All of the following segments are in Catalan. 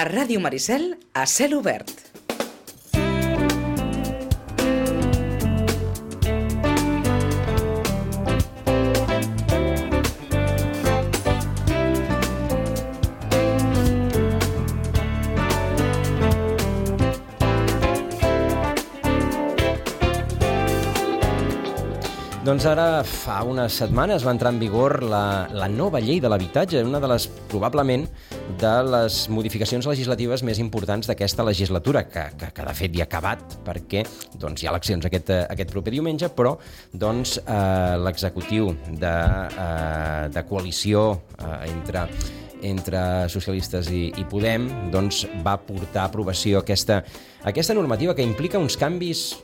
A Ràdio Maricel, a cel obert. Doncs ara, fa unes setmanes va entrar en vigor la nova llei de l'habitatge, una de les, probablement, de les modificacions legislatives més importants d'aquesta legislatura, que de fet ja ha acabat, perquè hi ha eleccions aquest proper diumenge, però l'executiu de coalició entre socialistes i Podem va portar a aprovació aquesta normativa que implica uns canvis,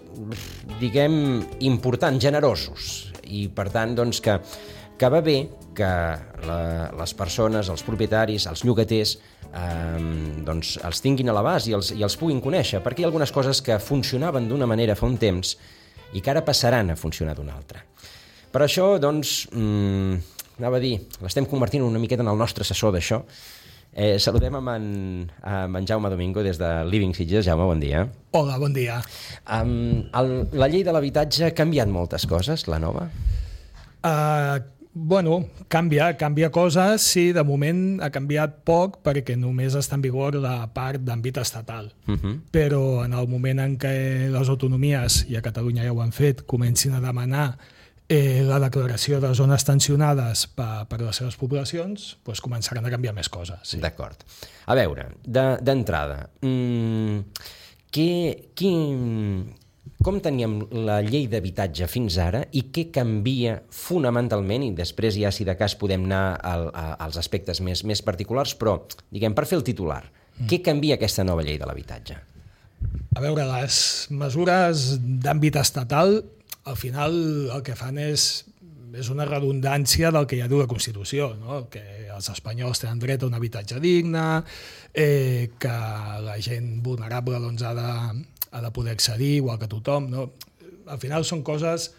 diguem, importants, generosos, i per tant que va bé que les persones, els propietaris, els llogaters els tinguin a l'abast i els puguin conèixer, perquè hi ha algunes coses que funcionaven d'una manera fa un temps i que ara passaran a funcionar d'una altra. Per això, anava a dir, l'estem convertint una miqueta en el nostre assessor d'això. Saludem amb en Jaume Domingo des de Living Sitges. Jaume, bon dia. Hola, bon dia. La llei de l'habitatge ha canviat moltes coses, la nova? Canvia coses, sí, de moment ha canviat poc perquè només està en vigor la part d'àmbit estatal. Però en el moment en què les autonomies, i a Catalunya ja ho han fet, comencin a demanar la declaració de zones tensionades per les seves poblacions, començaran a canviar més coses. Sí. D'acord. A veure, d'entrada, com teníem la llei d'habitatge fins ara i què canvia fonamentalment, i després ja, si de cas, podem anar als aspectes més particulars, però, diguem, per fer el titular, què canvia aquesta nova llei de l'habitatge? A veure, les mesures d'àmbit estatal al final el que fan és una redundància del que ja diu la Constitució, no? Que els espanyols tenen dret a un habitatge digne, que la gent vulnerable ha de poder accedir, igual que tothom. No? Al final són coses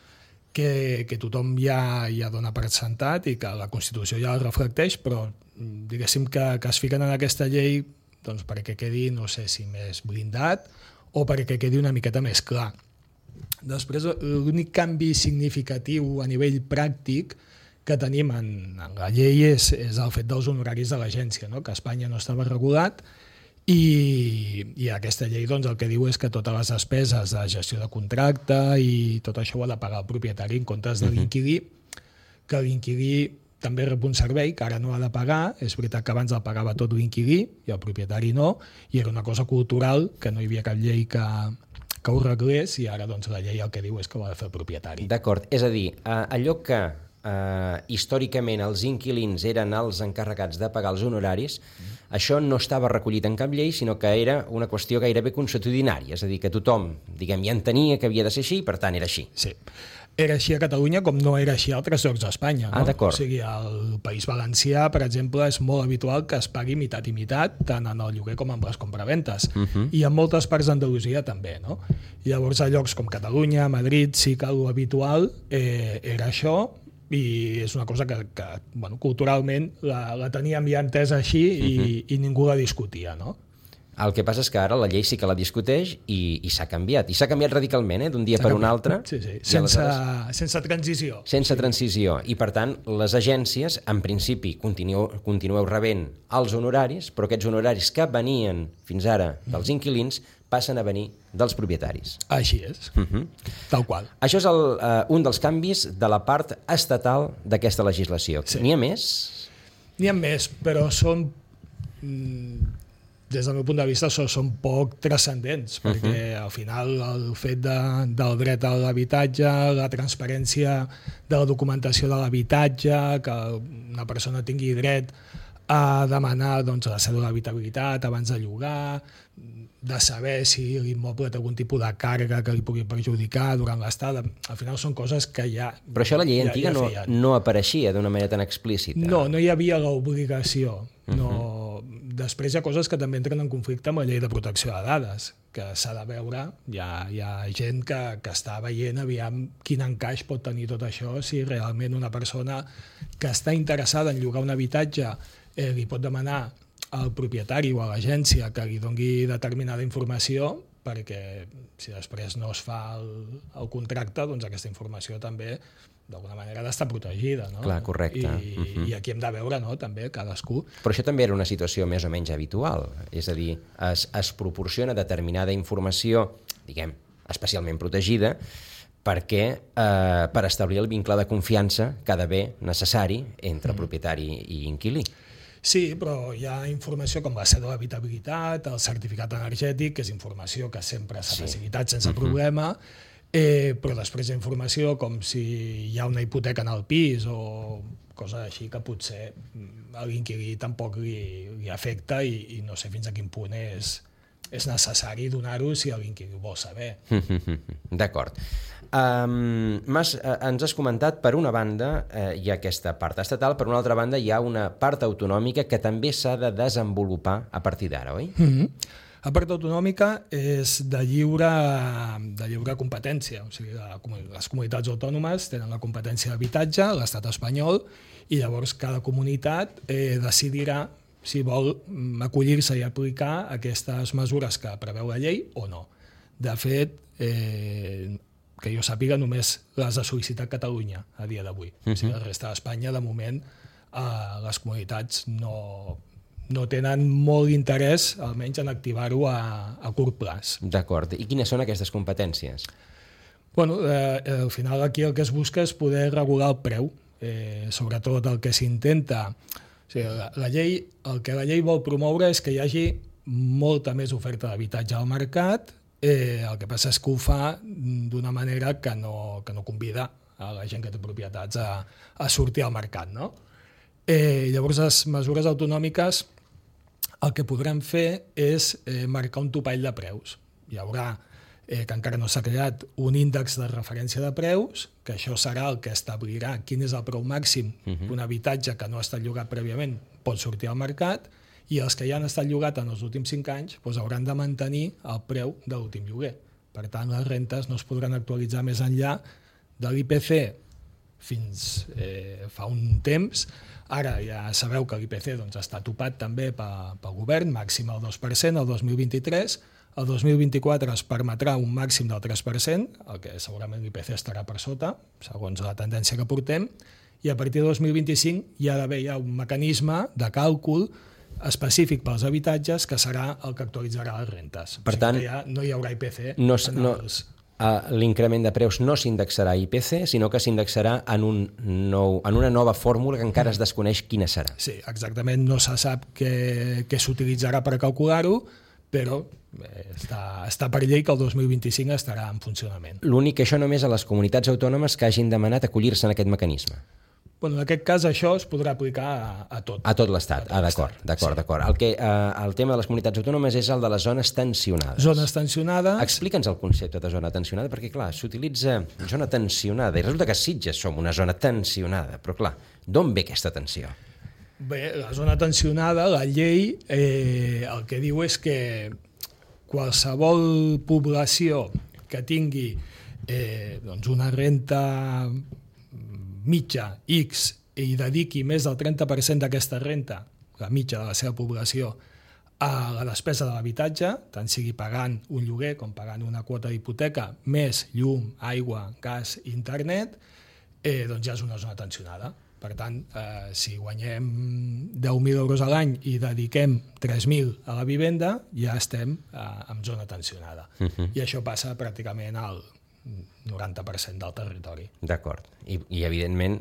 que tothom ja dona per sentat i que la Constitució ja reflecteix, però diguéssim que es fiquen en aquesta llei perquè quedi, no sé si més blindat o perquè quedi una miqueta més clar. Després, l'únic canvi significatiu a nivell pràctic que tenim en la llei és el fet dels honoraris de l'agència, no? Que a Espanya no estava regulat i aquesta llei el que diu és que totes les despeses de gestió de contracte i tot això ho ha de pagar el propietari en comptes de l'inquilí, que l'inquilí també rep un servei que ara no ha de pagar. És veritat que abans el pagava tot l'inquilí i el propietari no, i era una cosa cultural que no hi havia cap llei que ho reglés, i ara la llei el que diu és que ho ha de fer el propietari. D'acord, és a dir, allò que històricament els inquilins eren els encarregats de pagar els honoraris, això no estava recollit en cap llei, sinó que era una qüestió gairebé consuetudinària, és a dir, que tothom, diguem, ja entenia que havia de ser així, per tant era així. Sí. Era així a Catalunya com no era així a altres llocs d'Espanya. No? D'acord. O sigui, al País Valencià, per exemple, és molt habitual que es pagui mitat i mitat, tant en el lloguer com en les compraventes. I en moltes parts d'Andalusia també. No? I llavors a llocs com Catalunya, Madrid, sí que l'habitual era això, i és una cosa que culturalment la teníem ja entesa així i ningú la discutia, no? El que passa és que ara la llei sí que la discuteix i s'ha canviat. I s'ha canviat radicalment, d'un dia per un altre. Sí. Sense transició. Sense transició. I, per tant, les agències, en principi, continueu rebent els honoraris, però aquests honoraris que venien fins ara dels inquilins passen a venir dels propietaris. Així és. Tal qual. Això és un dels canvis de la part estatal d'aquesta legislació. Sí. N'hi ha més? N'hi ha més, però són... des del meu punt de vista, són poc transcendents, perquè al final el fet del dret a l'habitatge, la transparència de la documentació de l'habitatge, que una persona tingui dret a demanar la cèdula d'habitabilitat abans de llogar, de saber si l'immoble té algun tipus de càrrega que li pugui perjudicar durant l'estada. Al final són coses que ja... Però això a la llei antiga no apareixia d'una manera tan explícita. No hi havia l'obligació. Després hi ha coses que també entren en conflicte amb la llei de protecció de dades, que s'ha de veure. Hi ha gent que està veient aviam quin encaix pot tenir tot això, si realment una persona que està interessada en llogar un habitatge li pot demanar al propietari o a l'agència que li doni determinada informació, perquè si després no es fa el contracte, doncs aquesta informació també d'alguna manera ha d'estar protegida, no? Clar, correcte. I aquí hem de veure, no?, també cadascú. Però això també era una situació més o menys habitual, és a dir, es proporciona determinada informació, diguem, especialment protegida, perquè per establir el vincle de confiança que ha d'haver necessari entre propietari i inquilí. Sí, però hi ha informació com la cèdula d'habitabilitat, el certificat energètic, que és informació que sempre s'ha facilitat sense problema, però després hi ha informació com si hi ha una hipoteca en el pis o coses així que potser a l'inquilí tampoc li afecta i no sé fins a quin punt és necessari donar-ho si l'inquilí ho vol saber. D'acord. Ens has comentat, per una banda, hi ha aquesta part estatal, per una altra banda hi ha una part autonòmica que també s'ha de desenvolupar a partir d'ara, oi? La part autonòmica és de lliure competència, o sigui, les comunitats autònomes tenen la competència d'habitatge, l'estat espanyol, i llavors cada comunitat decidirà si vol acollir-se i aplicar aquestes mesures que preveu la llei o no. De fet, que jo sàpiga, només les ha sol·licitat Catalunya a dia d'avui. O sigui, la resta d'Espanya, de moment, les comunitats no tenen molt interès, almenys, en activar-ho a curt plaç. D'acord. I quines són aquestes competències? Bueno, al final aquí el que es busca és poder regular el preu. Sobretot el que s'intenta... O sigui, la llei, el que la llei vol promoure és que hi hagi molta més oferta d'habitatge al mercat. El que passa és que ho fa d'una manera que no convida a la gent que té propietats a sortir al mercat, no? Llavors, les mesures autonòmiques el que podran fer és marcar un topall de preus. Hi haurà, que encara no s'ha creat, un índex de referència de preus, que això serà el que establirà quin és el preu màxim d'un habitatge que no ha estat llogat prèviament pot sortir al mercat, i els que ja han estat llogat en els últims 5 anys doncs hauran de mantenir el preu de l'últim lloguer. Per tant, les rentes no es podran actualitzar més enllà de l'IPC fins fa un temps. Ara ja sabeu que l'IPC està topat també pel govern, màxim el 2% el 2023. El 2024 es permetrà un màxim del 3%, el que segurament l'IPC estarà per sota, segons la tendència que portem, i a partir del 2025 hi ha d'haver un mecanisme de càlcul específic pels habitatges que serà el que actualitzarà les rentes. Per tant, no hi haurà IPC. L'increment de preus no s'indexarà a IPC, sinó que s'indexarà en una nova fórmula que encara es desconeix quina serà. Sí, exactament, no se sap què s'utilitzarà per calcular-ho, però està per llei que el 2025 estarà en funcionament. L'únic que això només a les comunitats autònomes que hagin demanat acollir-se en aquest mecanisme. Bueno, en aquest cas això es podrà aplicar a tot. A tot l'Estat, d'acord. El tema de les comunitats autònomes és el de les zones tensionades. Zones tensionades... Explica'ns el concepte de zona tensionada, perquè clar, s'utilitza zona tensionada, i resulta que Sitges som una zona tensionada, però clar, d'on ve aquesta tensió? Bé, la zona tensionada, la llei, el que diu és que qualsevol població que tingui una renta mitja X i dediqui més del 30% d'aquesta renta, la mitja de la seva població, a la despesa de l'habitatge, tant sigui pagant un lloguer com pagant una quota d'hipoteca, més llum, aigua, gas i internet, doncs ja és una zona tensionada. Per tant, si guanyem 10.000 euros a l'any i dediquem 3.000 a la vivenda, ja estem en zona tensionada. I això passa pràcticament al 90% del territori. D'acord. I evidentment,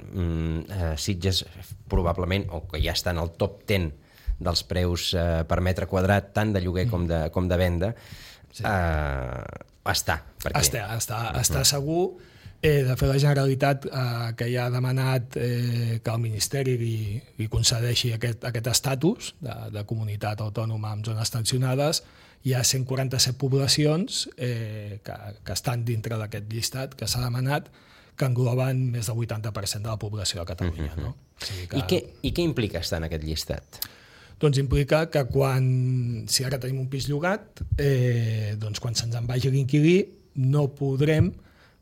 Sitges probablement, o que ja està en el top 10 dels preus per metre quadrat, tant de lloguer com de venda, està. Està segur. De fet, la Generalitat, que ja ha demanat que el Ministeri li concedeixi aquest estatus de comunitat autònoma amb zones tensionades, hi ha 147 poblacions que estan dintre d'aquest llistat que s'ha demanat, que engloben més del 80% de la població de Catalunya. No? I què implica estar en aquest llistat? Doncs implica que si ara tenim un pis llogat, doncs quan se'ns en vagi l'inquilí no podrem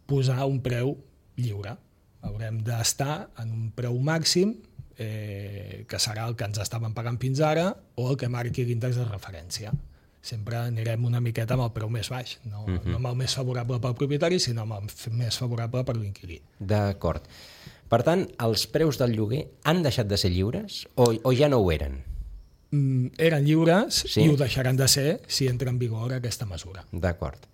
posar un preu lliure. Haurem d'estar en un preu màxim que serà el que ens estaven pagant fins ara, o el que marqui l'índex de referència. Sempre anirem una miqueta amb el preu més baix, no amb el més favorable pel propietari, sinó amb el més favorable per l'inquilí. D'acord. Per tant, els preus del lloguer han deixat de ser lliures o ja no ho eren? Eren lliures, Sí? I ho deixaran de ser si entra en vigor aquesta mesura. D'acord.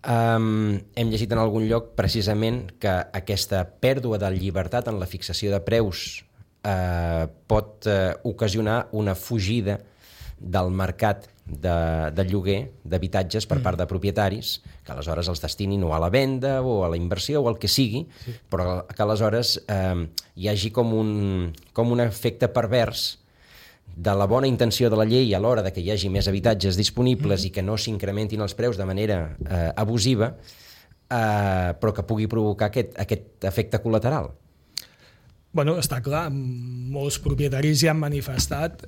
Hem llegit en algun lloc precisament que aquesta pèrdua de llibertat en la fixació de preus pot ocasionar una fugida del mercat de lloguer d'habitatges per part de propietaris, que aleshores els destinin o a la venda o a la inversió o el que sigui, però que aleshores hi hagi com un efecte pervers de la bona intenció de la llei a l'hora de que hi hagi més habitatges disponibles i que no s'incrementin els preus de manera abusiva, però que pugui provocar aquest efecte col·lateral. Bueno, està clar, molts propietaris ja han manifestat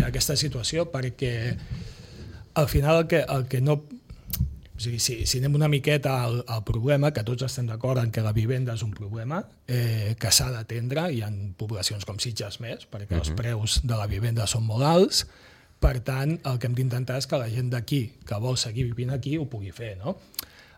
aquesta situació, perquè al final el que no... O sigui, si anem una miqueta al problema, que tots estem d'acord en que la vivenda és un problema que s'ha d'atendre, hi ha poblacions com Sitges més, perquè els preus de la vivenda són molt alts, per tant, el que hem d'intentar és que la gent d'aquí, que vol seguir vivint aquí, ho pugui fer, no?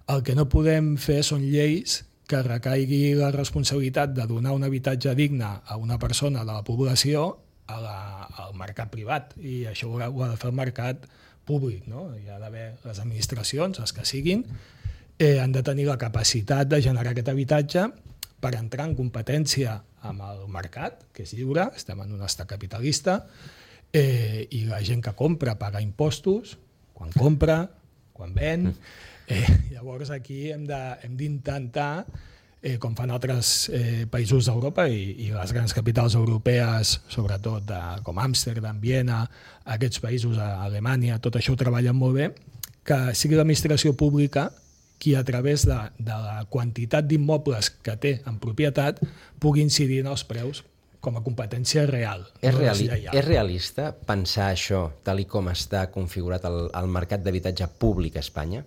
El que no podem fer són lleis que recaigui la responsabilitat de donar un habitatge digne a una persona de la població al mercat privat, i això ho ha de fer el mercat públic, no? Hi ha d'haver les administracions, les que siguin, han de tenir la capacitat de generar aquest habitatge per entrar en competència amb el mercat, que és lliure, estem en un estat capitalista, i la gent que compra paga impostos, quan compra, quan ven. Llavors aquí hem d'intentar, com fan altres països d'Europa i les grans capitals europees, sobretot com Amsterdam, Viena, aquests països, Alemanya, tot això ho treballen molt bé, que sigui l'administració pública qui a través de la quantitat d'immobles que té en propietat pugui incidir en els preus com a competència real. És realista pensar això tal com està configurat el mercat d'habitatge públic a Espanya?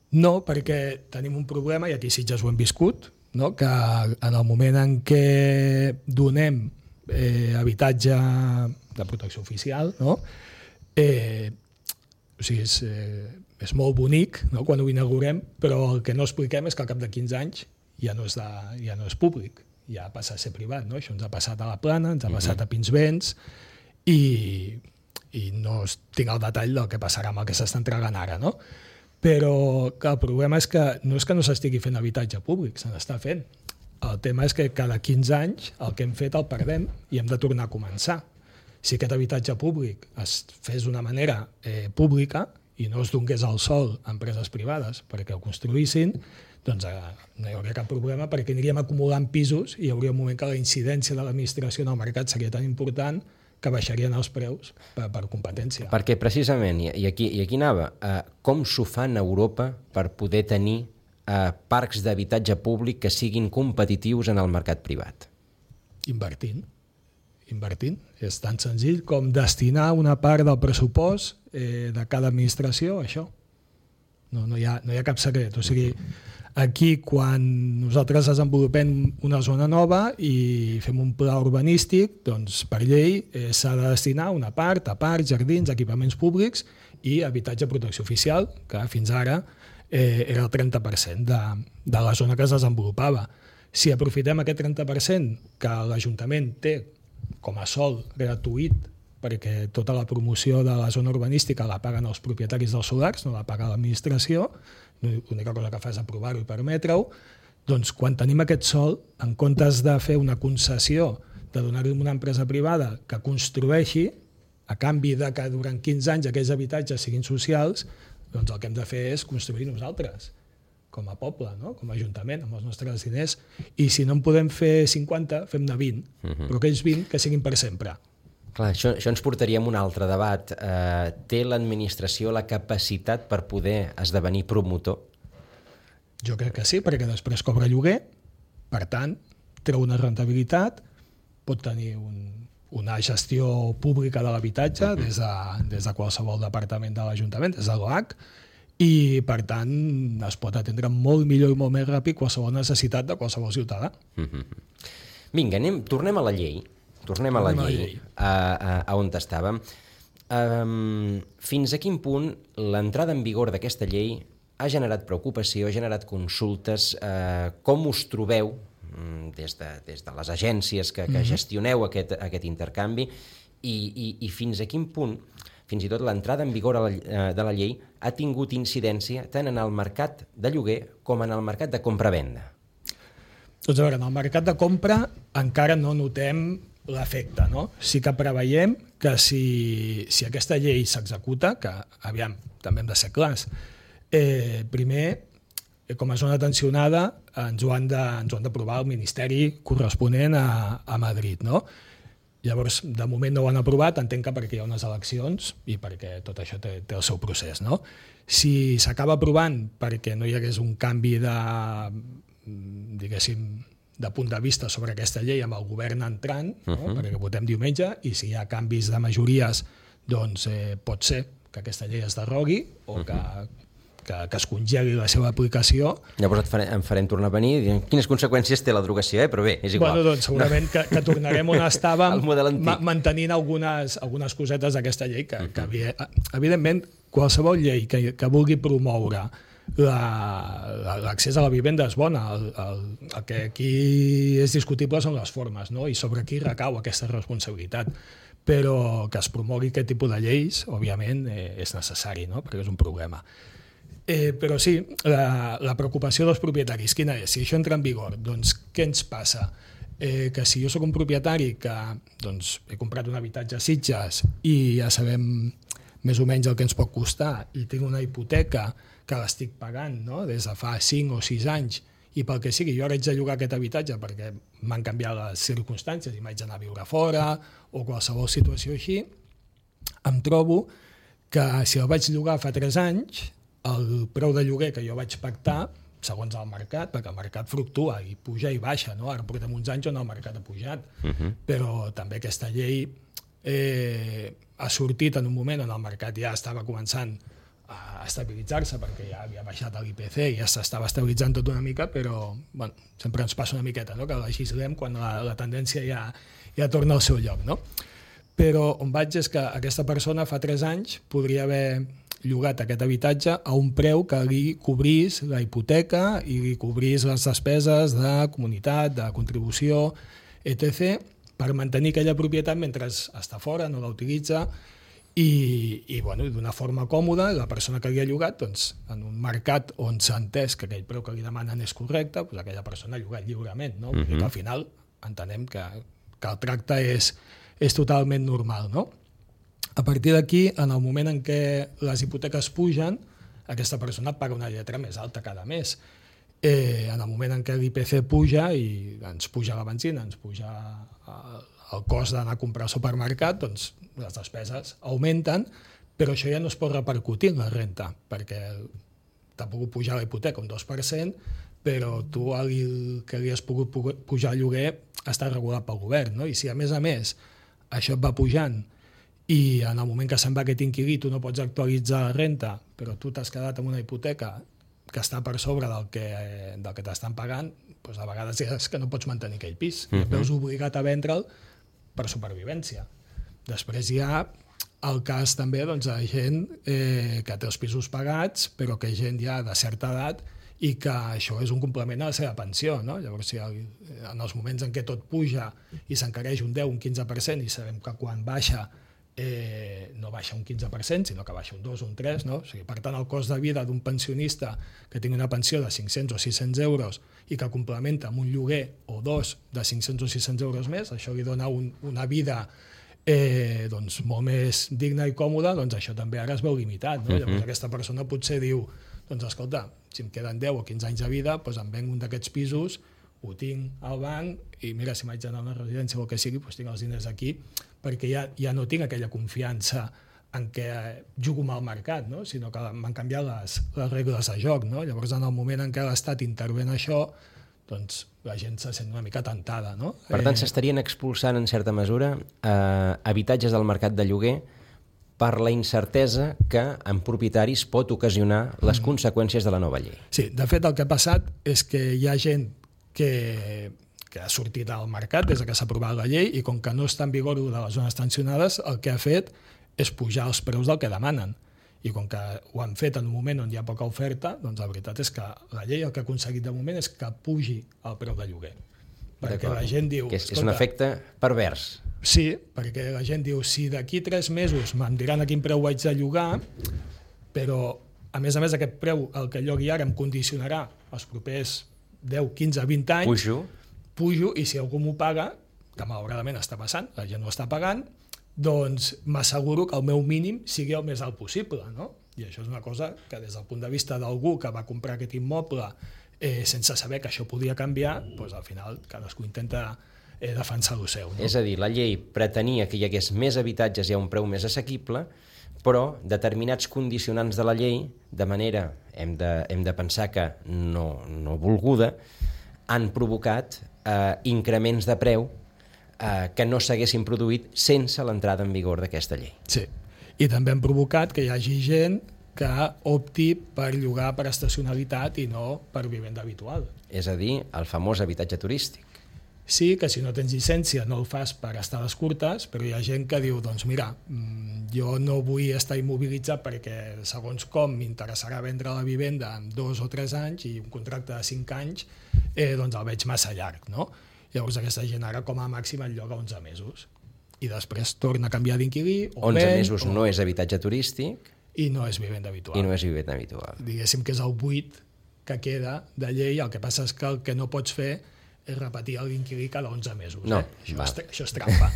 No, perquè tenim un problema, i aquí a Sitges ho hem viscut, no? Que en el moment en què donem habitatge de protecció oficial, no? O sigui, és molt bonic, no? Quan ho inaugurem, però el que no expliquem és que al cap de 15 anys ja no és públic, ja passa a ser privat, no? Això ens ha passat a la Plana, ens ha passat a Pinsbens, i no tinc el detall del que passarà amb el que s'està entregant ara, no? Però el problema és que no s'estigui fent habitatge públic, se n'està fent. El tema és que cada 15 anys el que hem fet el perdem i hem de tornar a començar. Si aquest habitatge públic es fes d'una manera pública i no es donés al sol a empreses privades perquè ho construïssin, doncs no hi hauria cap problema, perquè aniríem acumulant pisos i hi hauria un moment que la incidència de l'administració en el mercat seria tan important que baixarien els preus per competència. Perquè precisament, i aquí anava, com s'ho fan a Europa per poder tenir parcs d'habitatge públic que siguin competitius en el mercat privat? Invertint. És tan senzill com destinar una part del pressupost de cada administració a això. No hi ha cap secret. O sigui, aquí, quan nosaltres desenvolupem una zona nova i fem un pla urbanístic, doncs per llei s'ha de destinar una part a parcs, jardins, equipaments públics i habitatge de protecció oficial, que fins ara era el 30% de la zona que es desenvolupava. Si aprofitem aquest 30% que l'Ajuntament té com a sòl gratuït, perquè tota la promoció de la zona urbanística la paguen els propietaris dels solars, no la paga l'administració, l'única cosa que fa és aprovar-ho i permetre-ho, doncs quan tenim aquest sòl, en comptes de fer una concessió, de donar-li a una empresa privada que construeixi, a canvi de que durant 15 anys aquells habitatges siguin socials, doncs el que hem de fer és construir nosaltres, com a poble, no? Com a ajuntament, amb els nostres diners, i si no en podem fer 50, fem-ne 20, però aquells 20 que siguin per sempre. Clar, això ens portaria a un altre debat. Té l'administració la capacitat per poder esdevenir promotor? Jo crec que sí, perquè després cobra lloguer, per tant, treu una rentabilitat, pot tenir una gestió pública de l'habitatge des de qualsevol departament de l'Ajuntament, des de l'OAC, i per tant es pot atendre molt millor i molt més ràpid qualsevol necessitat de qualsevol ciutadà. Vinga, tornem a la llei. tornem a la llei, a on estàvem. Fins a quin punt l'entrada en vigor d'aquesta llei ha generat preocupació, ha generat consultes? Com us trobeu des de les agències que gestioneu aquest intercanvi i fins a quin punt, fins i tot l'entrada en vigor de la llei, ha tingut incidència tant en el mercat de lloguer com en el mercat de compra-venda? Doncs a veure, en el mercat de compra encara no notem l'efecte, no? Sí que preveiem que si aquesta llei s'executa, que aviam, també hem de ser clars, primer, com a zona tensionada, ens ho han d'aprovar el Ministeri corresponent a Madrid, no? Llavors, de moment no ho han aprovat, entenc que perquè hi ha unes eleccions i perquè tot això té el seu procés, no? Si s'acaba aprovant perquè no hi hagués un canvi diguéssim, de punt de vista sobre aquesta llei amb el govern entrant, no? Perquè votem diumenge, i si hi ha canvis de majories, doncs pot ser que aquesta llei es derrogui o que es congeli la seva aplicació. Llavors em farem tornar a venir i dir quines conseqüències té la derogació, però bé, és igual. Bueno, doncs segurament que tornarem on estàvem mantenint algunes cosetes d'aquesta llei que evidentment, qualsevol llei que vulgui promoure l'accés a la vivenda és bona. El que aquí és discutible són les formes, no? I sobre qui recau aquesta responsabilitat. Però que es promogui aquest tipus de lleis, òbviament, és necessari, no? Perquè és un problema. Però sí, la preocupació dels propietaris, quina és? Si això entra en vigor, doncs què ens passa? Que si jo sóc un propietari que he comprat un habitatge a Sitges i ja sabem més o menys el que ens pot costar i tinc una hipoteca que l'estic pagant, no? Des de fa 5 o 6 anys, i pel que sigui, jo ara haig de llogar aquest habitatge perquè m'han canviat les circumstàncies i m'haig d'anar a viure fora o qualsevol situació així, em trobo que si el vaig llogar fa 3 anys, el preu de lloguer que jo vaig pactar, segons el mercat, perquè el mercat fluctua i puja i baixa, no? Ara portem uns anys on el mercat ha pujat, però també aquesta llei ha sortit en un moment on el mercat ja estava començant a estabilitzar-se perquè ja havia baixat l'IPC i ja s'estava estabilitzant tot una mica, però bueno, sempre ens passa una miqueta, no? Que legislem quan la tendència ja torna al seu lloc, no? Però on vaig és que aquesta persona fa 3 anys podria haver llogat aquest habitatge a un preu que li cobrís la hipoteca i li cobrís les despeses de comunitat, de contribució, etc., per mantenir aquella propietat mentre està fora, no la utilitza, i d'una forma còmoda, la persona que li ha llogat, doncs, en un mercat on s'ha entès que aquell preu que li demanen és correcte, doncs aquella persona ha llogat lliurement, no? Vull dir que al final entenem que el tracte és totalment normal, no? A partir d'aquí, en el moment en què les hipoteques pugen, aquesta persona paga una lletra més alta cada mes. En el moment en què l'IPC puja i ens puja la benzina, ens puja el cost d'anar a comprar al supermercat, doncs les despeses augmenten, però això ja no es pot repercutir en la renta, perquè t'ha pogut pujar la hipoteca un 2%, però tu el que li has pogut pujar el lloguer està regulat pel govern, no? I si a més això et va pujant i en el moment que se'n va aquest inquilí tu no pots actualitzar la renta, però tu t'has quedat amb una hipoteca que està per sobre del que t'estan pagant, doncs a vegades és que no pots mantenir aquell pis i et veus obligat a vendre'l per supervivència. Després hi ha el cas també de gent que té els pisos pagats, però que gent ja de certa edat i que això és un complement a la seva pensió, no? Llavors, en els moments en què tot puja i s'encareix un 10, un 15%, i sabem que quan baixa no baixa un 15%, sinó que baixa un 2 o un 3, no? O sigui, per tant, el cost de vida d'un pensionista que tingui una pensió de 500 o 600 euros i que complementa amb un lloguer o dos de 500 o 600 euros més, això li dona una vida molt més digna i còmoda, doncs això també ara es veu limitat, no? Llavors aquesta persona potser diu, doncs escolta, si em queden 10 o 15 anys de vida, doncs em venc un d'aquests pisos, ho tinc al banc i mira, si m'haig d'anar a una residència o el que sigui, doncs tinc els diners aquí, perquè ja no tinc aquella confiança en què jugo amb el mercat, no? Sinó que m'han canviat les regles de joc, no? Llavors, en el moment en què l'Estat intervé en això, doncs la gent se sent una mica tentada, no? Per tant, s'estarien expulsant, en certa mesura, habitatges del mercat de lloguer per la incertesa que en propietaris pot ocasionar les conseqüències de la nova llei. Sí, de fet, el que ha passat és que hi ha gent que que ha sortit al mercat des que s'ha aprovat la llei, i com que no està en vigor de les zones tensionades, el que ha fet és pujar els preus del que demanen. I com que ho han fet en un moment on hi ha poca oferta, doncs la veritat és que la llei el que ha aconseguit de moment és que pugi el preu de lloguer. Perquè la gent diu... Que és un efecte pervers. Sí, perquè la gent diu, si d'aquí 3 mesos me'n diran a quin preu vaig de llogar, però a més, aquest preu, el que llogui ara, em condicionarà els propers 10, 15, 20 anys. Pujo, i si algú m'ho paga, que malauradament està passant, la gent ho està pagant, doncs m'asseguro que el meu mínim sigui el més alt possible, no? I això és una cosa que des del punt de vista d'algú que va comprar aquest immoble sense saber que això podia canviar, doncs al final cadascú intenta defensar el seu. No? És a dir, la llei pretenia que hi hagués més habitatges i a un preu més assequible, però determinats condicionants de la llei, de manera, hem de pensar que no volguda, han provocat increments de preu que no s'haguessin produït sense l'entrada en vigor d'aquesta llei. Sí, i també han provocat que hi hagi gent que opti per llogar per estacionalitat i no per vivenda habitual. És a dir, el famós habitatge turístic. Sí, que si no tens llicència no el fas per estades curtes, però hi ha gent que diu, doncs mira, jo no vull estar immobilitzat perquè segons com m'interessarà vendre la vivenda en 2 o 3 anys i un contracte de 5 anys doncs el veig massa llarg, no? Llavors aquesta gent ara com a màxim el lloga 11 mesos i després torna a canviar d'inquilí o 11 mesos no és habitatge turístic i no és vivenda habitual. I no és vivenda habitual. Diguéssim que és el buit que queda de llei, el que passa és que el que no pots fer és repetir l'inquilí cada 11 mesos. No, això és trampa.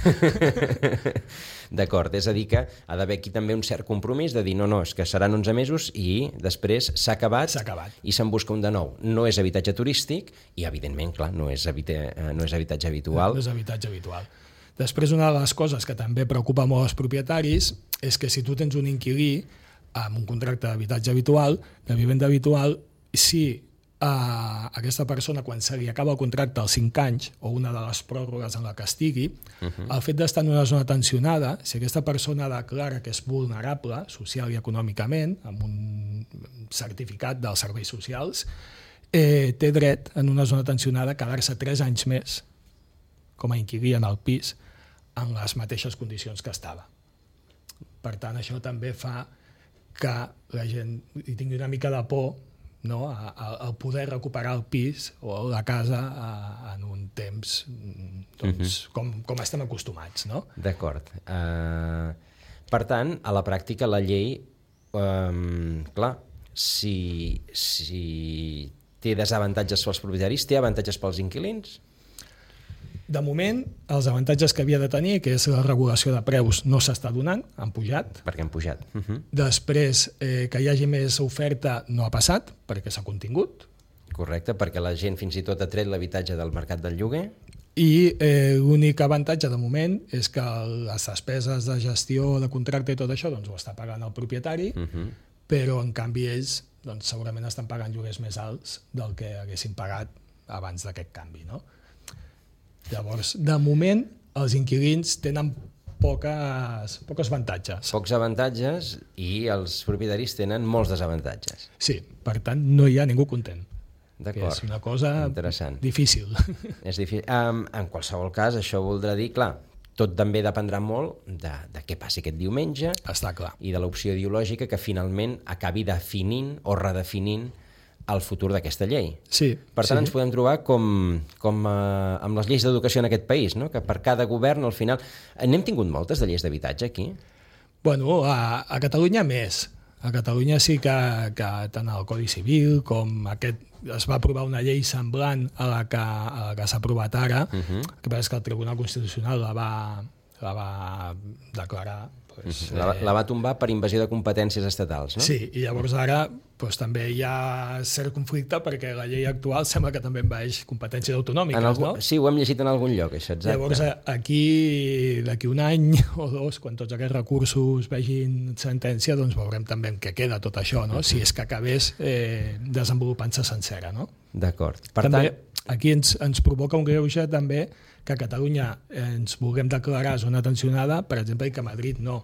D'acord, és a dir que ha d'haver aquí també un cert compromís de dir no, és que seran 11 mesos i després s'ha acabat i se'n busca un de nou. No és habitatge turístic i, evidentment, clar, no és habitatge habitual. No és habitatge habitual. Després, una de les coses que també preocupa molt els propietaris és que si tu tens un inquilí amb un contracte d'habitatge habitual, de vivenda habitual, si aquesta persona, quan se li acaba el contracte als 5 anys, o una de les pròrrogues en la que estigui, el fet d'estar en una zona tensionada, si aquesta persona declara que és vulnerable social i econòmicament, amb un certificat dels serveis socials, té dret en una zona tensionada a quedar-se 3 anys més com a inquilí en el pis en les mateixes condicions que estava. Per tant, això també fa que la gent hi tingui una mica de por, no? El poder recuperar el pis o la casa en un temps doncs, com estem acostumats. No? D'acord. Per tant, a la pràctica la llei, clar, si té desavantatges pels propietaris, té avantatges pels inquilins? De moment, els avantatges que havia de tenir, que és la regulació de preus, no s'està donant, han pujat. Perquè han pujat. Després, que hi hagi més oferta, no ha passat, perquè s'ha contingut. Correcte, perquè la gent fins i tot ha tret l'habitatge del mercat del lloguer. I l'únic avantatge de moment és que les despeses de gestió, de contracte i tot això doncs, ho està pagant el propietari, però en canvi ells doncs, segurament estan pagant lloguers més alts del que haguessin pagat abans d'aquest canvi, no? Llavors, de moment, els inquilins tenen pocs avantatges. Pocs avantatges i els propietaris tenen molts desavantatges. Sí, per tant, no hi ha ningú content. D'acord. És una cosa difícil. És difícil. En qualsevol cas, això voldrà dir, clar, tot també dependrà molt de què passi aquest diumenge. Està clar. I de l'opció ideològica que finalment acabi definint o redefinint el futur d'aquesta llei. Sí. Per tant, ens podem trobar com amb les lleis d'educació en aquest país, no? Que per cada govern, al final... N'hem tingut moltes de lleis d'habitatge aquí? Bueno, a Catalunya més. A Catalunya sí que tant el Codi Civil com es va aprovar una llei semblant a la que s'ha aprovat ara, que passa que el Tribunal Constitucional la va declarar... La va tombar per invasió de competències estatals, no? Sí, i llavors ara també hi ha cert conflicte perquè la llei actual sembla que també envaeix competències autonòmiques, no? Sí, ho hem llegit en algun lloc, això, exacte. Llavors aquí, d'aquí un any o 2, quan tots aquests recursos vegin sentència, doncs veurem també en què queda tot això, no? Si és que acabés desenvolupant-se sencera, no? D'acord. També aquí ens provoca un greuge també que a Catalunya ens vulguem declarar zona tensionada, per exemple, i que a Madrid no.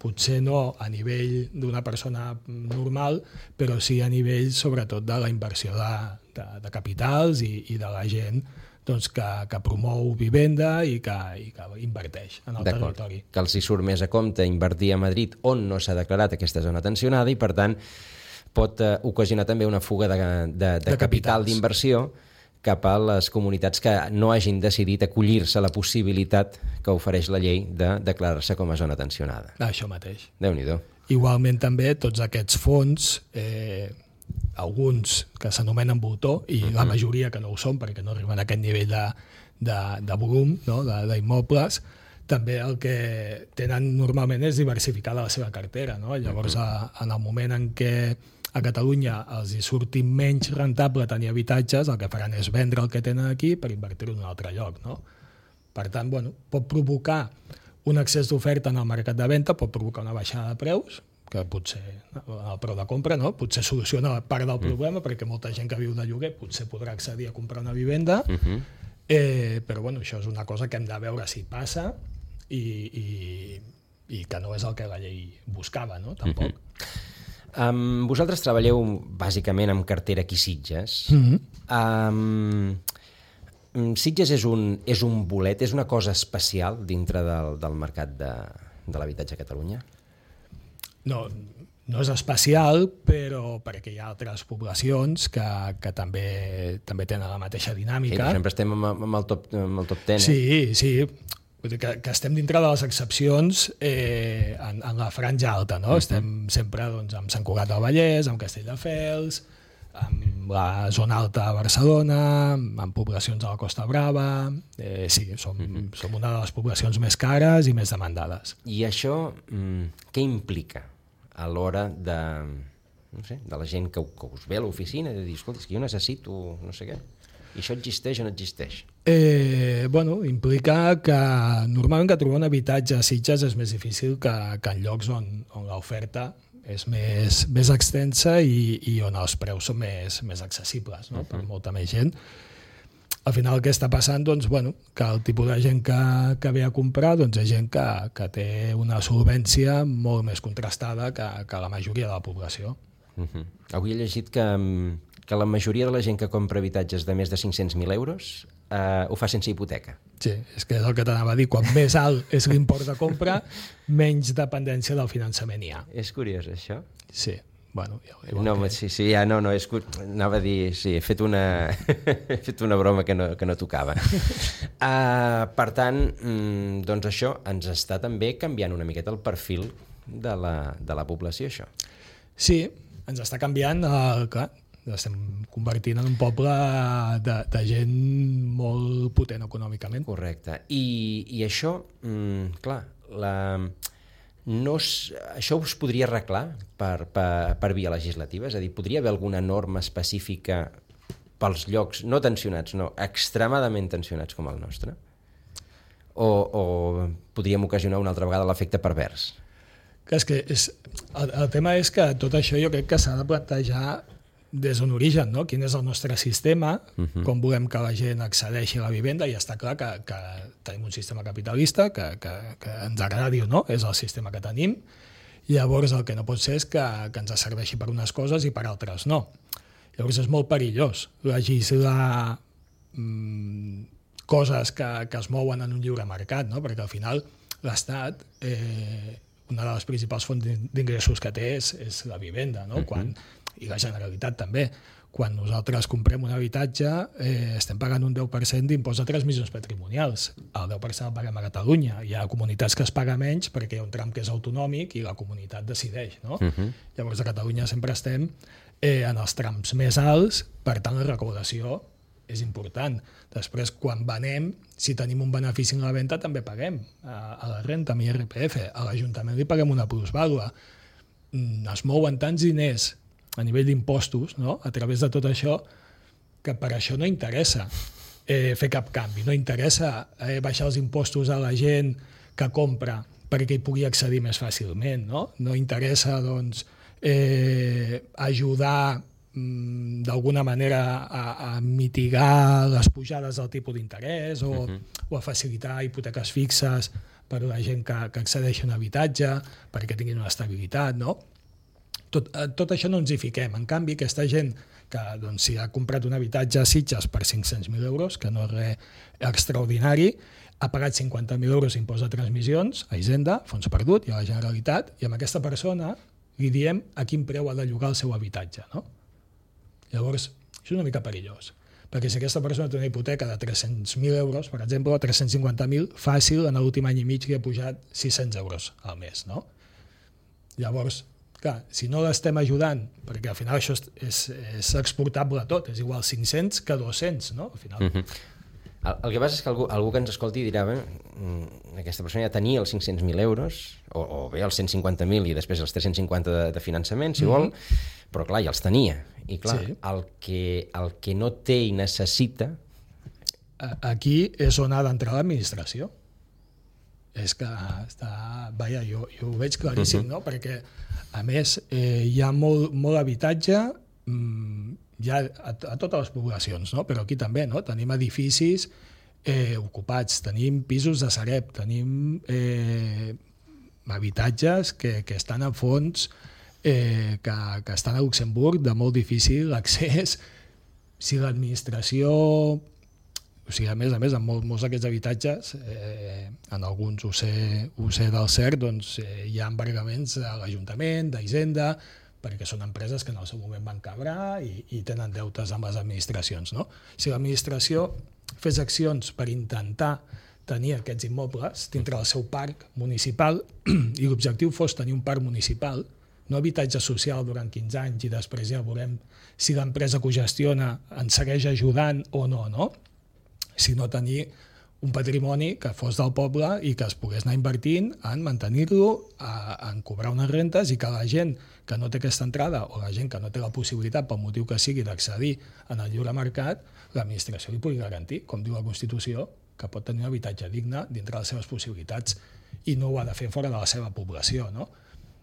Potser no a nivell d'una persona normal, però sí a nivell, sobretot, de la inversió de capitals i de la gent doncs, que promou vivenda i que inverteix en el territori. Que els hi surt més a compte invertir a Madrid on no s'ha declarat aquesta zona tensionada i, per tant, pot ocasionar també una fuga de capital d'inversió cap a les comunitats que no hagin decidit acollir-se a la possibilitat que ofereix la llei de declarar-se com a zona tensionada. Això mateix. Déu-n'hi-do. Igualment també tots aquests fons, alguns que s'anomenen voltor i la majoria que no ho són perquè no arriben a aquest nivell de volum, no? d'immobles, també el que tenen normalment és diversificar la seva cartera. No? Llavors, en el moment en què a Catalunya els hi surti menys rentable tenir habitatges, el que faran és vendre el que tenen aquí per invertir-ho en un altre lloc. No? Per tant, pot provocar un excés d'oferta en el mercat de venda, pot provocar una baixada de preus, que potser el preu de compra potser soluciona part del problema, perquè molta gent que viu de lloguer potser podrà accedir a comprar una vivenda, però això és una cosa que hem de veure si passa i que no és el que la llei buscava, no? Tampoc. Vosaltres treballeu bàsicament amb cartera aquí Sitges. Sitges és un bolet, és una cosa especial dintre del mercat de l'habitatge a Catalunya? No és especial, però perquè hi ha altres poblacions que també tenen la mateixa dinàmica. Sí, sempre estem amb el top 10. Sí. Vull dir que estem dintre de les excepcions en la franja alta, no? Estem sempre amb Sant Cugat del Vallès, amb Castelldefels, amb la zona alta de Barcelona, amb poblacions de la Costa Brava. Sí, som una de les poblacions més cares i més demandades. I això què implica a l'hora de la gent que us ve a l'oficina, de dir, escolta, és que jo necessito no sé què. I això existeix o no existeix? Implica que normalment que trobar un habitatge a Sitges és més difícil que en llocs on l'oferta és més extensa i on els preus són més accessibles, no? Per molta més gent. Al final el que està passant, que el tipus de gent que ve a comprar és gent que té una solvència molt més contrastada que la majoria de la població. Avui he llegit que la majoria de la gent que compra habitatges de més de 500.000 euros ho fa sense hipoteca. Sí, és que és el que t'anava a dir. Quan més alt és l'import de compra, menys dependència del finançament hi ha. És curiós, això? Sí. Anava a dir, sí, he fet una broma que no tocava. Per tant, doncs això ens està també canviant una miqueta el perfil de la població, això. Sí, ens està canviant, clar, estem convertint en un poble de gent molt potent econòmicament. Correcte. I això, clar, això us podria arreglar per via legislativa? És a dir, podria haver alguna norma específica pels llocs no tensionats, no, extremadament tensionats com el nostre? O podríem ocasionar una altra vegada l'efecte pervers? El tema és que tot això jo crec que s'ha de plantejar des d'un origen, no? Quin és el nostre sistema, com volem que la gent accedeixi a la vivenda, i està clar que tenim un sistema capitalista que ens agradi o no, és el sistema que tenim. Llavors el que no pot ser és que ens serveixi per unes coses i per altres no. Llavors és molt perillós legislar coses que es mouen en un lliure mercat, no? Perquè al final l'Estat, una de les principals fonts d'ingressos que té és la vivenda, no? I la Generalitat també. Quan nosaltres comprem un habitatge estem pagant un 10% d'impost de transmissions patrimonials. El 10% el paguem a Catalunya. Hi ha comunitats que es paga menys perquè hi ha un tram que és autonòmic i la comunitat decideix, no? Llavors a Catalunya sempre estem en els trams més alts, per tant la recaudació és important. Després, quan venem, si tenim un benefici en la venda, també paguem a la renta, amb IRPF. A l'Ajuntament li paguem una plusvàlua. Es mouen tants diners a nivell d'impostos, no? A través de tot això, que per això no interessa fer cap canvi. No interessa baixar els impostos a la gent que compra perquè hi pugui accedir més fàcilment, no? No interessa, doncs, ajudar d'alguna manera a mitigar les pujades del tipus d'interès o a facilitar hipoteques fixes per a la gent que accedeix a un habitatge perquè tinguin una estabilitat, no? Tot això no ens hi fiquem. En canvi, aquesta gent que doncs, si ha comprat un habitatge a Sitges per 500.000 euros, que no és res extraordinari, ha pagat 50.000 euros d'impost de transmissions a Hisenda, fons perdut, i a la Generalitat, i amb aquesta persona li diem a quin preu ha de llogar el seu habitatge. No? Llavors, això és una mica perillós, perquè si aquesta persona té una hipoteca de 300.000 euros, per exemple, o 350.000, fàcil, en l'últim any i mig li ha pujat 600 euros al mes. No? Llavors, clar, si no l'estem ajudant, perquè al final això és exportable tot, és igual 500 que 200, no? Al final. El que passa és que algú que ens escolti dirà aquesta persona ja tenia els 500.000 euros, o bé els 150.000 i després els 350 de finançament, si vol, però clar, ja els tenia. I clar, sí. el que no té i necessita... Aquí és on ha d'entrar l'administració. És que vaja, jo ho veig claríssim, no? Perquè a més hi ha molt habitatge ja a totes les poblacions, no? Però aquí també, no? Tenim edificis ocupats, tenim pisos de Sareb, tenim habitatges que estan a fons, que estan a Luxemburg, de molt difícil accés. Si l'administració... O sigui, a més, en molts d'aquests habitatges, en alguns ho sé del cert, doncs hi ha embargaments de l'Ajuntament, d'Hisenda, perquè són empreses que en el seu moment van quebrar i tenen deutes amb les administracions. No? Si l'administració fes accions per intentar tenir aquests immobles dintre del seu parc municipal i l'objectiu fos tenir un parc municipal, no habitatge social durant 15 anys i després ja veurem si l'empresa que ho gestiona ens segueix ajudant o no, no? Sinó tenir un patrimoni que fos del poble i que es pogués anar invertint en mantenir-lo, en cobrar unes rentes i que la gent que no té aquesta entrada o la gent que no té la possibilitat, pel motiu que sigui, d'accedir en el lliure mercat, l'administració li pugui garantir, com diu la Constitució, que pot tenir un habitatge digne dintre les seves possibilitats i no ho ha de fer fora de la seva població. No?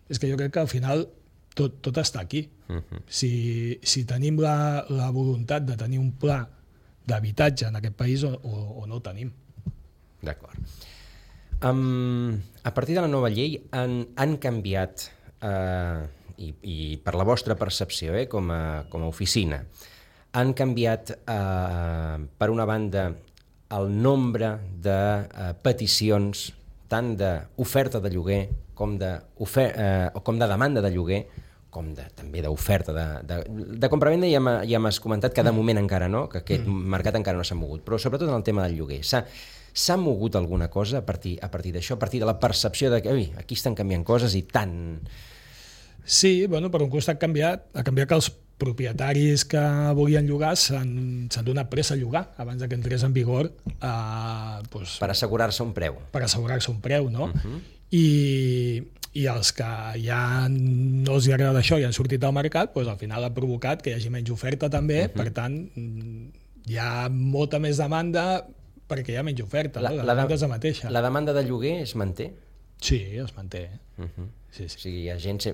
És que jo crec que al final tot està aquí. Si tenim la voluntat de tenir un pla d'habitatge en aquest país o no ho tenim. D'acord. A partir de la nova llei han canviat, i per la vostra percepció com a oficina, han canviat per una banda el nombre de peticions tant d'oferta de lloguer com de demanda de lloguer, com també d'oferta de compravenda. Ja m'has comentat que de moment encara no, que aquest mercat encara no s'ha mogut, però sobretot en el tema del lloguer. S'ha mogut alguna cosa a partir d'això, a partir de la percepció de que aquí estan canviant coses i tant... Sí, bueno, per un costat ha canviat que els propietaris que volien llogar s'han donat pressa a llogar abans que entrés en vigor. Per assegurar-se un preu. Per assegurar-se un preu, no? I els que ja no els agrada això i han sortit al mercat, doncs al final ha provocat que hi hagi menys oferta també, per tant hi ha molta més demanda perquè hi ha menys oferta, la demanda és la mateixa. La demanda de lloguer es manté? Sí, es manté. Sí. O sigui,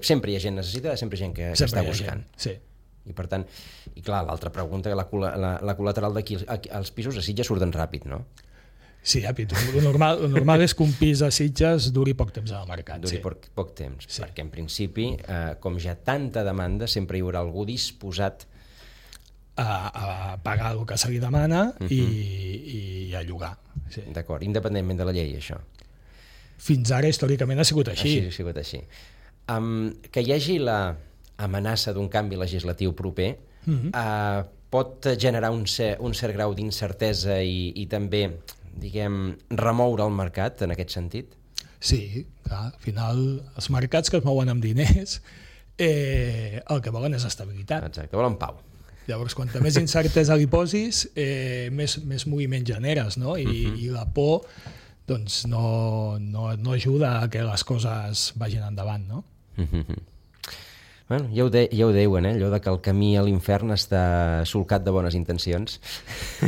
sempre hi ha gent necessitada, sempre hi ha gent que està buscant. Sí. I per tant, i clar, l'altra pregunta, la col·lateral d'aquí, els pisos a Sitges surten ràpid, no? Sí, el normal és que un pis a Sitges duri poc temps al mercat. Duri poc temps, perquè en principi, com ja tanta demanda, sempre hi haurà algú disposat a pagar el que se li demana i a llogar. Sí. D'acord, independentment de la llei, això. Fins ara, històricament, ha sigut així. Ha sigut així. Que hi hagi l'amenaça d'un canvi legislatiu proper pot generar un cert grau d'incertesa i també, diguem, remoure el mercat en aquest sentit? Sí, clar, al final els mercats que es mouen amb diners el que volen és estabilitat. Exacte, volen pau. Llavors, quanta més incertesa li posis, més moviment generes, no? I la por doncs, no ajuda a que les coses vagin endavant, no? Bueno, ja ho deuen, allò de que el camí a l'infern està solcat de bones intencions.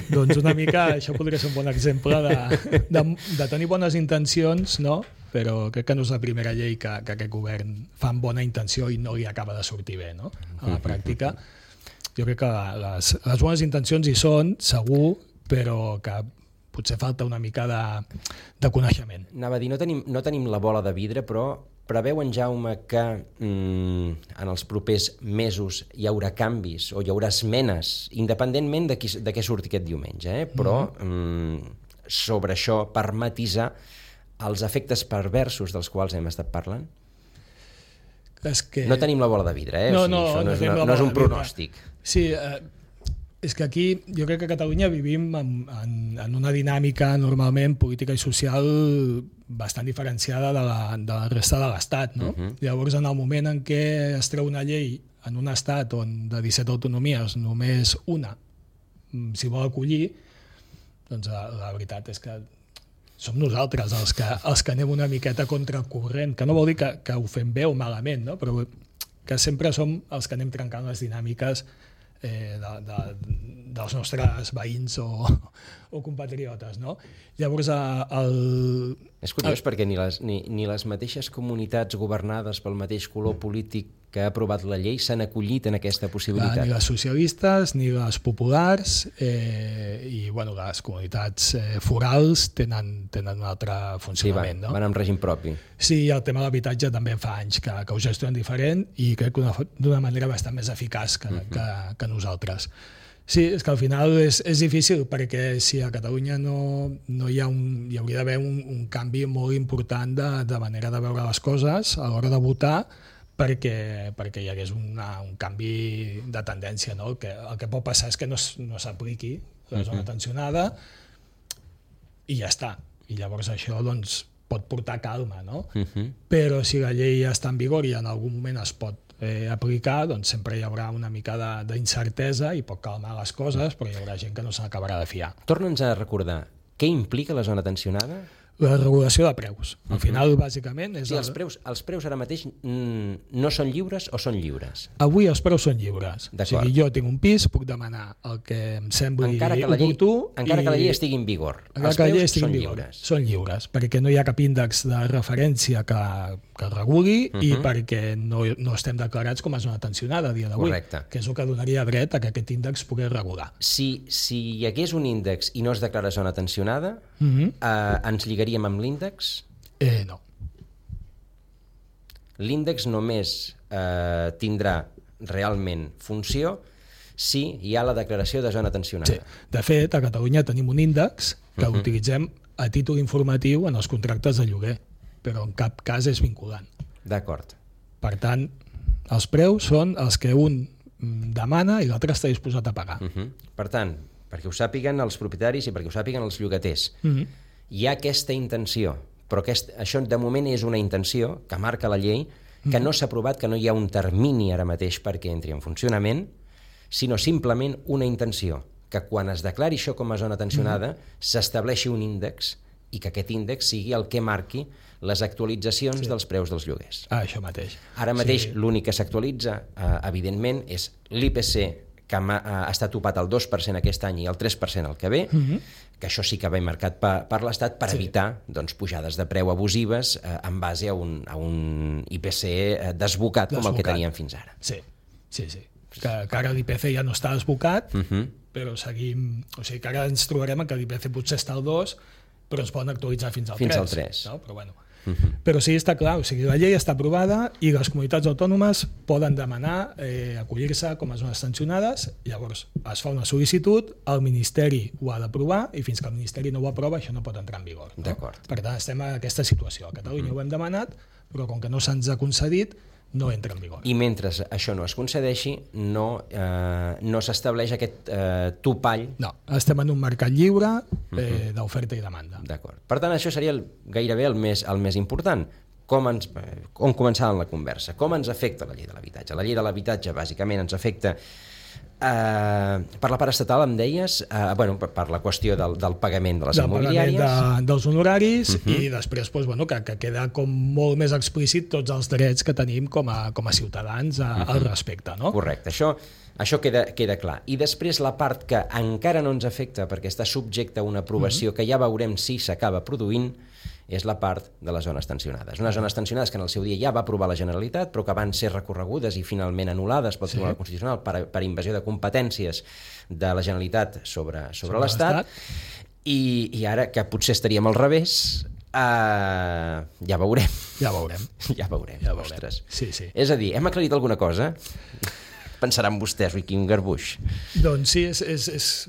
Doncs una mica, això podria ser un bon exemple de tenir bones intencions, no? Però crec que no és la primera llei que aquest govern fa amb bona intenció i no li acaba de sortir bé, no? A la pràctica. Jo crec que les bones intencions hi són, segur, però que potser falta una mica de coneixement. Anava a dir, no tenim la bola de vidre, però preveu en Jaume que en els propers mesos hi haurà canvis o hi haurà esmenes, independentment de què surti aquest diumenge, però sobre això, per matisar els efectes perversos dels quals hem estat parlant? No tenim la bola de vidre, No, això no és un pronòstic. Sí, és que aquí jo crec que a Catalunya vivim en una dinàmica normalment política i social bastant diferenciada de la resta de l'Estat, no? Llavors, en el moment en què es treu una llei en un estat on de 17 autonomies només una s'hi vol acollir, doncs la veritat és que som nosaltres els que anem una miqueta contracorrent, que no vol dir que ho fem bé o malament, no? Però que sempre som els que anem trencant les dinàmiques dels nostres veïns o compatriotes, no? Llavors, és curiós perquè ni les mateixes comunitats governades pel mateix color polític que ha aprovat la llei s'han acollit en aquesta possibilitat. Ni les socialistes, ni les populars, i les comunitats forals tenen un altre funcionament. Sí, van amb règim propi. Sí, el tema de l'habitatge també fa anys que ho gestionen diferent i crec que d'una manera bastant més eficaç que nosaltres. Sí, és que al final és difícil perquè si a Catalunya no hi hauria d'haver un canvi molt important de manera de veure les coses a l'hora de votar perquè hi hagués un canvi de tendència, no? El que pot passar és que no s'apliqui la zona tensionada i ja està. I llavors això doncs, pot portar calma, no? Però si la llei ja està en vigor i en algun moment es pot aplicar, doncs sempre hi haurà una mica d'incertesa i pot calmar les coses, però hi haurà gent que no se n'acabarà de fiar. Torna'ns a recordar, què implica la zona tensionada? La regulació de preus. Al final, bàsicament... Sí, els preus ara mateix no són lliures o són lliures? Avui els preus són lliures. O sigui, jo tinc un pis, puc demanar el que em sembli oportú... Encara que la llei estigui en vigor. Els preus són lliures. Són lliures, perquè no hi ha cap índex de referència que reguli i perquè no estem declarats com a zona tensionada a dia d'avui. Correcte. Que és el que donaria dret a que aquest índex pogués regular. Si hi hagués un índex i no es declara zona tensionada, ens lligaríem amb l'índex? No. L'índex només tindrà realment funció si hi ha la declaració de zona tensionada. Sí. De fet, a Catalunya tenim un índex que l'utilitzem a títol informatiu en els contractes de lloguer, però en cap cas és vinculant. D'acord. Per tant, els preus són els que un demana i l'altre està disposat a pagar. Per tant, perquè ho sàpiguen els propietaris i perquè ho sàpiguen els llogaters, hi ha aquesta intenció, però això de moment és una intenció que marca la llei, que no s'ha aprovat, que no hi ha un termini ara mateix perquè entri en funcionament, sinó simplement una intenció, que quan es declari això com a zona tensionada s'estableixi un índex i que aquest índex sigui el que marqui les actualitzacions dels preus dels lloguers. Això mateix. Ara mateix l'únic que s'actualitza, evidentment, és l'IPC, que està topat al 2% aquest any i el 3% el que ve, que això sí que va marcat per l'Estat per evitar pujades de preu abusives en base a un IPC desbocat com el que teníem fins ara. Sí. Que ara l'IPC ja no està desbocat, però seguim... O sigui, que ara ens trobarem que l'IPC potser està al 2, però es poden actualitzar fins al 3. Fins al 3. No? Però bueno. Però sí, està clar, o sigui, la llei està aprovada i les comunitats autònomes poden demanar acollir-se com a zones sancionades, llavors es fa una sol·licitud, el Ministeri ho ha d'aprovar i fins que el Ministeri no ho aprova això no pot entrar en vigor. No? D'acord. Per tant, estem en aquesta situació. A Catalunya ho hem demanat, però com que no se'ns ha concedit, no entra en vigor. I mentre això no es concedeixi, no s'estableix aquest topall. No, estem en un mercat lliure d'oferta i demanda. D'acord. Per tant, això seria gairebé el més important. On començàvem la conversa? Com ens afecta la llei de l'habitatge? La llei de l'habitatge, bàsicament, ens afecta per la part estatal, em deies, per la qüestió del pagament de les immobiliàries. Pagament dels honoraris i després que queda com molt més explícit tots els drets que tenim com a ciutadans al respecte. No? Correcte, això queda clar. I després la part que encara no ens afecta perquè està subjecte a una aprovació que ja veurem si s'acaba produint, és la part de les zones tensionades. Unes zones tensionades que en el seu dia ja va aprovar la Generalitat, però que van ser recorregudes i finalment anul·lades pel Tribunal Constitucional per invasió de competències de la Generalitat sobre l'Estat. I ara, que potser estaríem al revés, Ja veurem. Ja veurem. Ja veurem. Ostres. Sí, sí. És a dir, hem aclarit alguna cosa? Pensaran vostès, ui, quin garbuix. Doncs sí, és És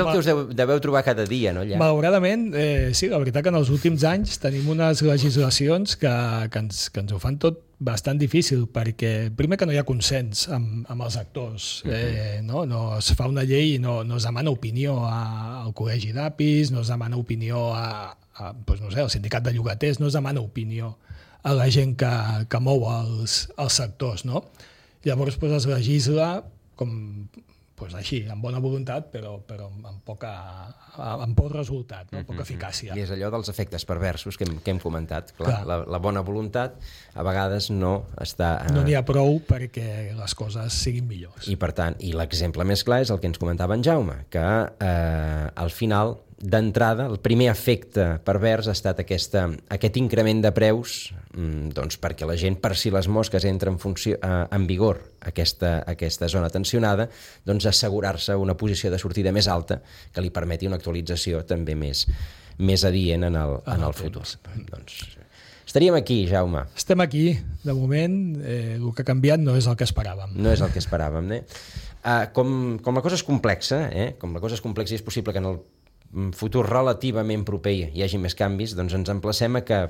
el que us deveu trobar cada dia, no, allà? Malauradament, sí, la veritat que en els últims anys tenim unes legislacions que ens ho fan tot bastant difícil, perquè primer que no hi ha consens amb els actors, no es fa una llei i no es demana opinió al col·legi d'APIs, no es demana opinió doncs no sé, al sindicat de llogaters, no es demana opinió a la gent que mou els sectors, no? Llavors es legisla com així, amb bona voluntat, però amb poc resultat, no? Poca eficàcia. I és allò dels efectes perversos que hem comentat. Clar. La bona voluntat a vegades no està... No n'hi ha prou perquè les coses siguin millors. I per tant, i l'exemple més clar és el que ens comentava en Jaume, que al final, d'entrada, el primer efecte pervers ha estat aquest increment de preus, doncs perquè la gent, per si les mosques entra en vigor aquesta zona tensionada, doncs assegurar-se una posició de sortida més alta que li permeti una actualització també més adient en el futur. Doncs estaríem aquí, Jaume. Estem aquí, de moment, el que ha canviat no és el que esperàvem. No és el que esperàvem, Com la cosa és complexa, com la cosa és complexa i és possible que en el futur relativament proper hi hagi més canvis, doncs ens emplacem a que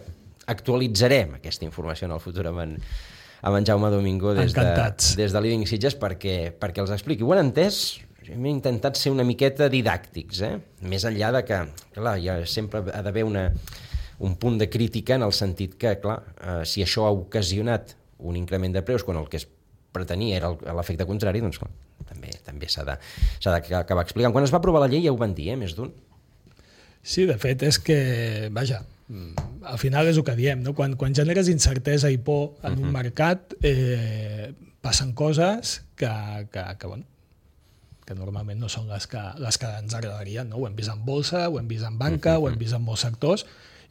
actualitzarem aquesta informació en el futur amb en Jaume Domingo des de Living Sitges perquè els expliqui. Ho han entès? Hem intentat ser una miqueta didàctics, més enllà de que, clar, sempre ha d'haver un punt de crítica en el sentit que, clar, si això ha ocasionat un increment de preus quan el que es pretenia era l'efecte contrari, doncs clar, també s'ha d'acabar explicant. Quan es va aprovar la llei ja ho van dir, més d'un. Sí, de fet, és que, vaja, al final és el que diem, no? Quan generes incertesa i por en un mercat, passen coses que normalment no són les que ens agradarien, no? Ho hem vist en bolsa, ho hem vist en banca, ho hem vist en molts sectors,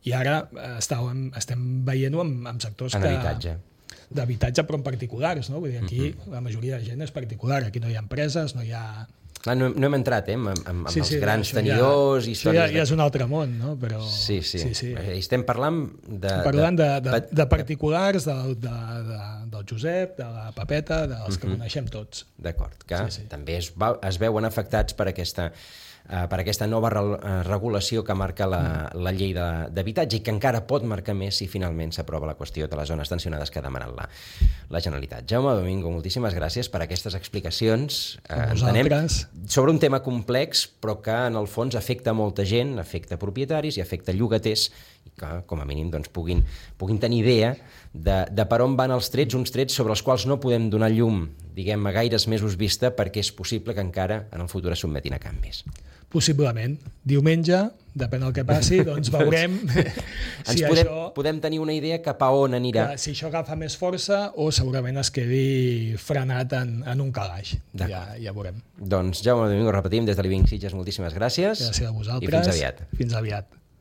i ara estem veient-ho amb sectors d'habitatge, però en particulars, no? Vull dir, aquí la majoria de gent és particular, aquí no hi ha empreses, no hi ha... Clar, no hem entrat amb els grans tenidors, històries... Ja és un altre món, no? Però... Sí. Estem parlant de particulars, del Josep, de la Pepeta, dels que coneixem tots. D'acord, que també es veuen afectats per aquesta nova regulació que marca la llei d'habitatge i que encara pot marcar més si finalment s'aprova la qüestió de les zones tensionades que ha demanat la Generalitat. Jaume Domingo, moltíssimes gràcies per aquestes explicacions. Entenem sobre un tema complex, però que en el fons afecta molta gent, afecta propietaris i afecta llogaters, i que com a mínim doncs, puguin tenir idea de per on van els trets, uns trets sobre els quals no podem donar llum, diguem, a gaires mesos vista, perquè és possible que encara en el futur es sotmetin a canvis. Possiblement. Diumenge, depèn del que passi, doncs veurem si podem tenir una idea cap a on anirà. Si això agafa més força o segurament es quedi frenat en un calaix. Ja veurem. Doncs Jaume Domingo, repetim, des de Living Sitges, moltíssimes gràcies. Gràcies a vosaltres. I fins aviat. Fins aviat.